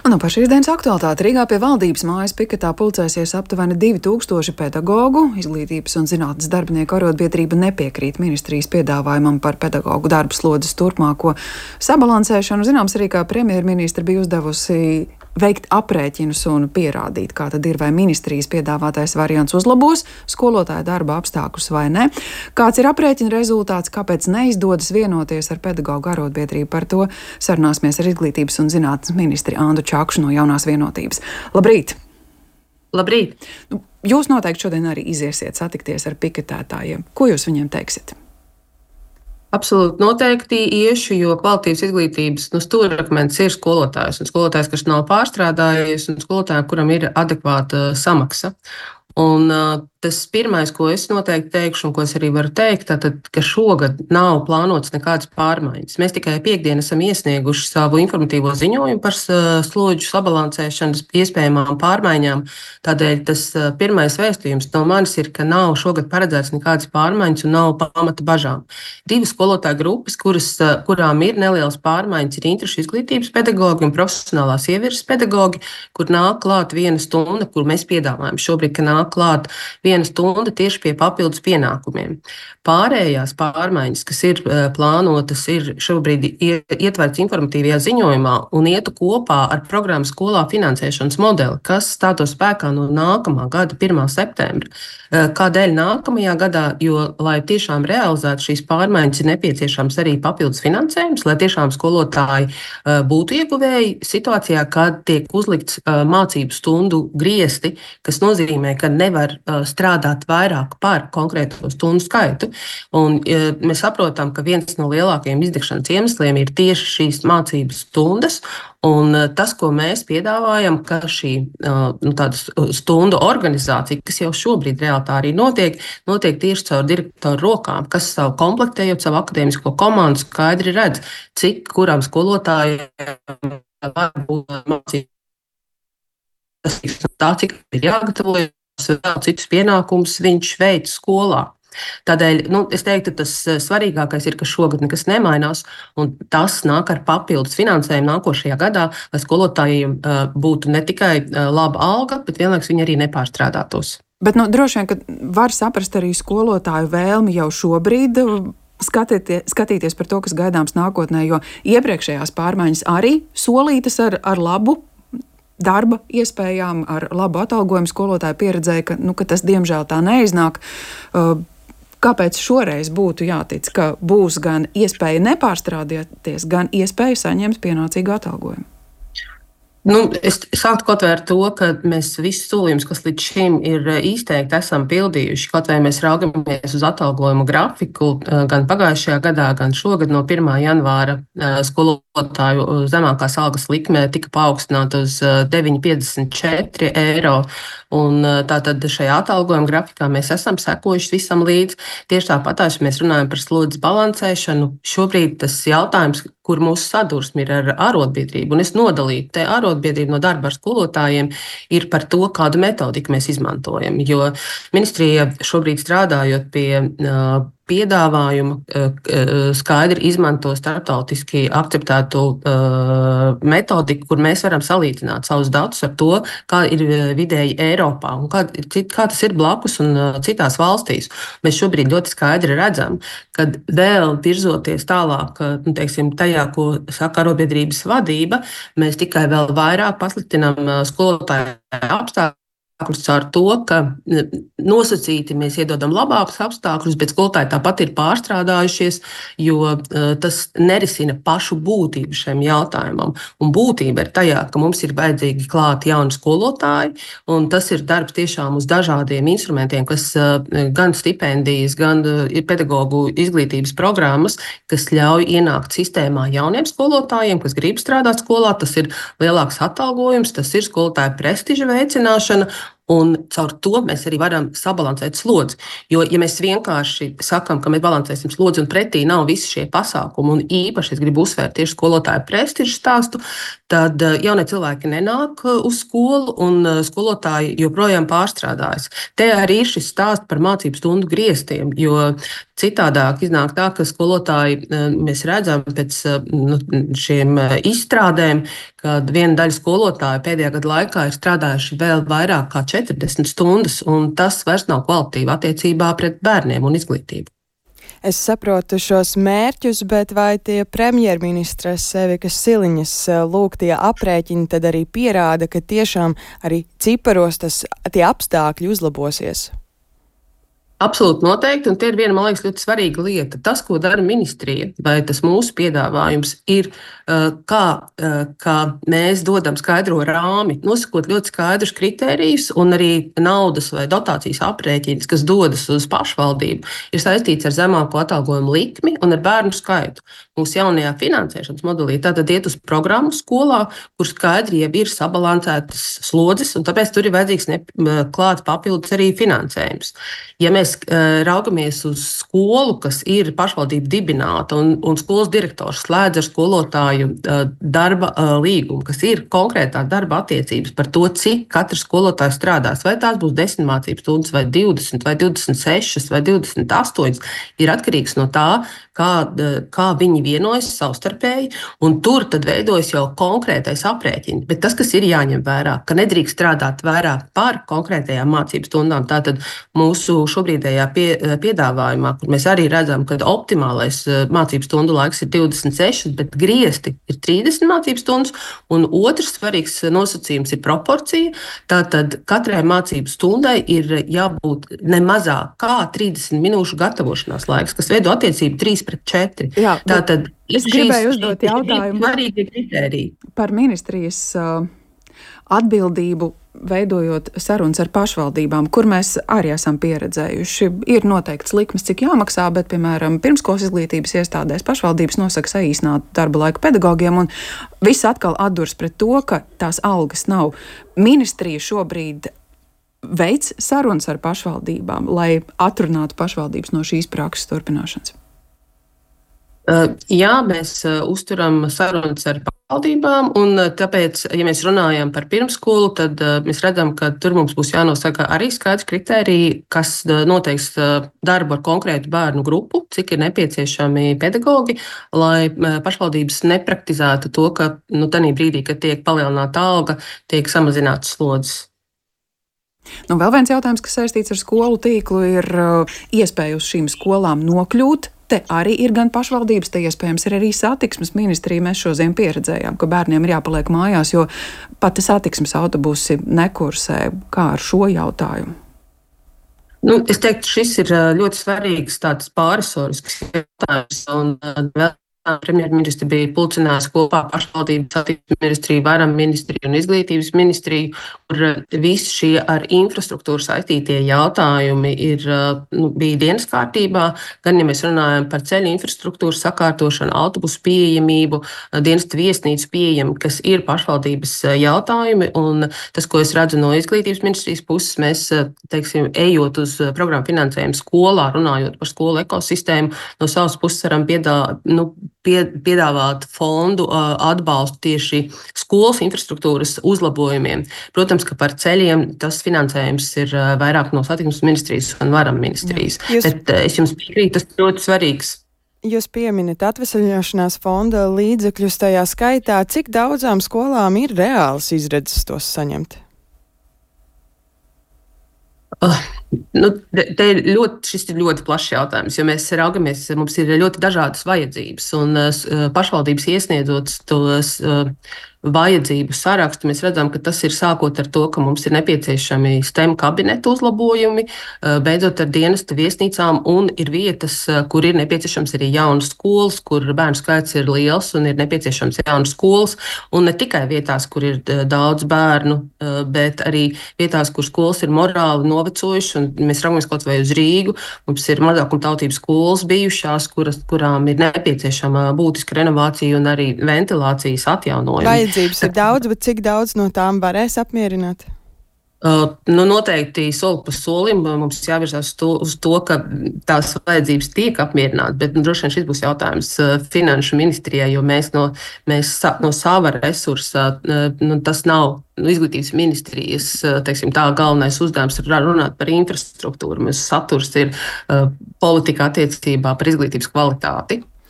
Un par šīs dienas aktualitāti Rīgā pie valdības mājas piketā pulcēsies aptuveni 2000 pedagogu. Izglītības un zinātnes darbinieku arotbiedrība nepiekrīt ministrijas piedāvājumam par pedagogu darba slodzes turpmāko sabalansēšanu. Zināms arī, kā premjerministra bija uzdevusi veikt aprēķinus un pierādīt, kā tad ir, vai ministrijas piedāvātais variants uzlabos skolotāja darba apstākļus vai ne. Kāds ir aprēķina rezultāts, kāpēc neizdodas vienoties ar pedagogu arotbiedrību, par to sarunāsimies ar izglītības un zinātnes ministri Andu Čakšu no Jaunās vienotības. Labrīt! Labrīt! Jūs noteikti šodien arī iziesiet satikties ar piketētājiem. Ko jūs viņiem teiksiet? Absolūti noteikti iešu, jo kvalitātes izglītības stūrakmens ir skolotājs. Un skolotājs, kas nav pārstrādājies, un skolotājiem, kuram ir adekvāta samaksa. Un tas pirmais, ko es noteikti teikšu, un ko es arī varu teikt, tātad, ka šogad nav plānotas nekādas pārmaiņas. Mēs tikai piekdien esam iesnieguši savu informatīvo ziņojumu par slodžu sabalansēšanas iespējamām pārmaiņām. Tādēļ tas pirmais vēstījums no manis ir, ka nav šogad paredzēts nekādas pārmaiņas un nav pamata bažām. Divas skolotāju grupas, kurām ir nelielas pārmaiņas, ir interešu izglītības pedagogi un profesionālās ievirzes pedagogi, kur nāk klāt viena stunda, kur mēs piedāvājam šobrīd, ka nāk klāt viena stunda tieši pie papildus pienākumiem. Pārējās pārmaiņas, kas ir plānotas, ir šobrīd ietverts informatīvajā ziņojumā un ietu kopā ar programmas skolā finansēšanas modeli, kas stātos spēkā no nākamā gada 1. septembra. Kādēļ nākamajā gadā? Jo, lai tiešām realizētu šīs pārmaiņas, ir nepieciešams arī papildus finansējums, lai tiešām skolotāji būtu ieguvēji situācijā, kad tiek uzlikts mācību stundu griesti, kas nozīmē, ka nevar strādāt vairāk par konkrēto stundu skaitu. Un mēs saprotam, ka viens no lielākajiem izdegšanas iemesliem ir tieši šīs mācības stundas. Un tas, ko mēs piedāvājam, ka šī tāda stundu organizācija, kas jau šobrīd reāli tā arī notiek tieši caur direktoru rokām, kas savu komplektējot savu akadēmisko komandu skaidri redz, cik kuram skolotājiem var būt mācību. Tā, cik ir jāgatavojas, vēl citus pienākumus viņš veic skolā. Tādēļ es teiktu, tas svarīgākais ir, ka šogad nekas nemainās, un tas nāk ar papildus finansējumu nākošajā gadā, lai skolotājiem būtu ne tikai laba alga, bet vienlaikus viņi arī nepārstrādātos. Bet droši vien, ka var saprast arī skolotāju vēlmi jau šobrīd skatīties par to, kas gaidāms nākotnē, jo iepriekšējās pārmaiņas arī solītas ar labu darba iespējām, ar labu atalgojumu. Skolotāji pieredzēja, ka tas diemžēl tā neiznāk. Kāpēc šoreiz būtu jātic, ka būs gan iespēja nepārstrādāties, gan iespēja saņemt pienācīgu atalgojumu? Es sāktu kaut vai ar to, ka mēs visus solījumus, kas līdz šim ir izteikti, esam pildījuši. Kaut vai mēs raugamies uz atalgojumu grafiku, gan pagājušajā gadā, gan šogad no 1. janvāra skolotāju zemākās algas likme tika paaugstināta uz 9,54 eiro. Un tātad šajā atalgojuma grafikā mēs esam sekojuši visam līdz. Tieši tāpatās, ja mēs runājam par slodzes balansēšanu, šobrīd tas jautājums, kur mūsu sadursme ir ar arotbiedrību, un es nodalītu te arotbiedrību no darba ar skolotājiem, ir par to, kādu metodiku mēs izmantojam. Jo ministrija šobrīd strādājot pie piedāvājumu skaidri izmanto starptautiski akceptētu metodiku, kur mēs varam salīdzināt savus datus ar to, kā ir vidēji Eiropā un kā tas ir blakus un citās valstīs. Mēs šobrīd ļoti skaidri redzam, ka vēl virzoties tālāk, tajā, ko saka arotbiedrības vadība, mēs tikai vēl vairāk pasliktinām skolotāju apstākļus. Ar to, ka nosacīti mēs iedodam labākus apstākļus, bet skolotāji tāpat ir pārstrādājušies, jo tas nerisina pašu būtību šiem jautājumam. Un būtība ir tajā, ka mums ir vajadzīgi klāt jauni skolotāji, un tas ir darbs tiešām uz dažādiem instrumentiem, kas gan stipendijas, gan ir pedagogu izglītības programmas, kas ļauj ienākt sistēmā jauniem skolotājiem, kas grib strādāt skolā. Tas ir lielāks atalgojums, tas ir skolotāju prestiža veicināšana. Un caur to mēs arī varam sabalansēt slodzi. Jo, ja mēs vienkārši sakām, ka mēs balansēsim slodzi un pretī nav visi šie pasākumi, un īpaši es gribu uzsvērt tieši skolotāju prestižu stāstu, tad jaunie cilvēki nenāk uz skolu un skolotāji joprojām pārstrādājas. Te arī ir šis stāsts par mācību stundu griestiem, jo Citādāk iznāk tā, ka skolotāji, mēs redzam pēc šiem izstrādēm, ka viena daļa skolotāju pēdējā gada laikā ir strādājuši vēl vairāk kā 40 stundas, un tas vairs nav kvalitīvi attiecībā pret bērniem un izglītību. Es saprotu šos mērķus, bet vai tie premjerministres Evikas Siliņas lūgtie aprēķini tad arī pierāda, ka tiešām arī ciparos tie apstākļi uzlabosies? Absolūti noteikti, un tie ir viena, man liekas, ļoti svarīga lieta. Tas, ko dara ministrija, vai tas mūsu piedāvājums ir, kā mēs dodam skaidro rāmi, nosakot ļoti skaidrus kritērijus, un arī naudas vai dotācijas aprēķins, kas dodas uz pašvaldību, ir saistīts ar zemāko atalgojumu likmi un ar bērnu skaitu. Mūsu jaunajā finansēšanas modelī tātad iet uz programmu skolā, kur skaidri jau ir sabalansētas slodzes, un tāpēc tur ir vajadzīgs klāt papildus arī finansējums. Ja mēs raugamies uz skolu, kas ir pašvaldība dibināta, un skolas direktors slēdz ar skolotāju darba līgumu, kas ir konkrētā darba attiecības par to, cik katrs skolotājs strādās, vai tās būs 10 mācību stundas, vai 20, vai 26, vai 28, ir atkarīgs no tā, kā viņi vienojas savstarpēji, un tur tad veidojas jau konkrētais aprēķins. Bet tas, kas ir jāņem vērā, ka nedrīkst strādāt vairāk par konkrētajām mācību stundām, tātad mūsu šobrīdējā piedāvājumā, kur mēs arī redzam, ka optimālais mācību stundu laiks ir 26, bet griezti ir 30 mācību stundas, un otrs svarīgs nosacījums ir proporcija. Tātad katrai mācību stundai ir jābūt ne mazāk kā 30 minūšu gatavošanās laiks, kas veido attiecību 3:4. Jā, tātad es gribēju uzdot jautājumu par ministrijas atbildību, veidojot sarunas ar pašvaldībām, kur mēs arī esam pieredzējuši. Ir noteikts likmes, cik jāmaksā, bet, piemēram, pirmskolas izglītības iestādēs pašvaldības nosaka saīsinātu darba laiku pedagogiem, un viss atkal atdurs pret to, ka tās algas nav. Ministrija šobrīd veids sarunas ar pašvaldībām, lai atrunātu pašvaldības no šīs prakses turpināšanas. Jā, mēs uzturam sarunas ar pašvaldībām, un tāpēc, ja mēs runājam par pirmskolu, tad mēs redzam, ka tur mums būs jānosaka arī skaidrs kritēriji, kas noteiks darbu ar konkrētu bērnu grupu, cik ir nepieciešami pedagogi, lai pašvaldības nepraktizētu to, ka tādā brīdī, kad tiek palielināta alga, tiek samazināts slodzes. Vēl viens jautājums, kas saistīts ar skolu tīklu, ir iespēja uz šīm skolām nokļūt. Te arī ir gan pašvaldības, te iespējams ir arī satiksmes ministrija. Mēs šodien pieredzējām, ka bērniem ir jāpaliek mājās, jo pat satiksmes autobusi nekursē. Kā ar šo jautājumu? Es teiktu, šis ir ļoti svarīgs tāds pārresorisks jautājums. Premjerministri bija pulcinājusi kopā pašvaldības satiksmes ministriju, varam ministriju un izglītības ministriju, kur visi šie ar infrastruktūru saistītie jautājumi bija dienas kārtībā. Gan, ja mēs runājam par ceļu infrastruktūru sakārtošanu, autobusu pieejamību, dienestu viesnīcu pieejamību, kas ir pašvaldības jautājumi. Un tas, ko es redzu no izglītības ministrijas puses, mēs, teiksim, ejot uz programmu finansējumu skolā, runājot par skolu ekosistēmu, no savas puses varam piedāvāt fondu atbalstu tieši skolas infrastruktūras uzlabojumiem. Protams, ka par ceļiem tas finansējums ir vairāk no satiksmes ministrijas un varam ministrijas. Bet es jums piekrītu, tas ir ļoti svarīgs. Jūs pieminat atvesaļošanās fonda līdzekļus tajā skaitā. Cik daudzām skolām ir reāls izredzes tos saņemt? Šis ir ļoti plašs jautājums, jo mēs raugamies, mums ir ļoti dažādas vajadzības, un pašvaldības iesniedzot tos vajadzību sarakstu, mēs redzam, ka tas ir sākot ar to, ka mums ir nepieciešami STEM kabinetu uzlabojumi, beidzot ar dienesta viesnīcām, un ir vietas, kur ir nepieciešams arī jaunas skolas, kur bērnu skaits ir liels un ir nepieciešams jaunas skolas, un ne tikai vietās, kur ir daudz bērnu, bet arī vietās, kur skolas ir morāli novecojušas, un mēs raugamies kaut vai uz Rīgu, mums ir mazākumtautības skolas bijušās, kurām ir nepieciešama būtiska renovācija un arī ventilācijas atjaunojuma. Vajadzības ir daudz, bet cik daudz no tām varēs apmierināt? Noteikti soli pa solim mums jāvirzās uz to, ka tās vajadzības tiek apmierinātas, bet droši vien šis būs jautājums Finanšu ministrijai, jo mēs no sava resursa, tas nav Izglītības ministrijas, teiksim, tā galvenais uzdevums ir runāt par infrastruktūru. Mēs saturs ir politika attiecībā par izglītības kvalitāti.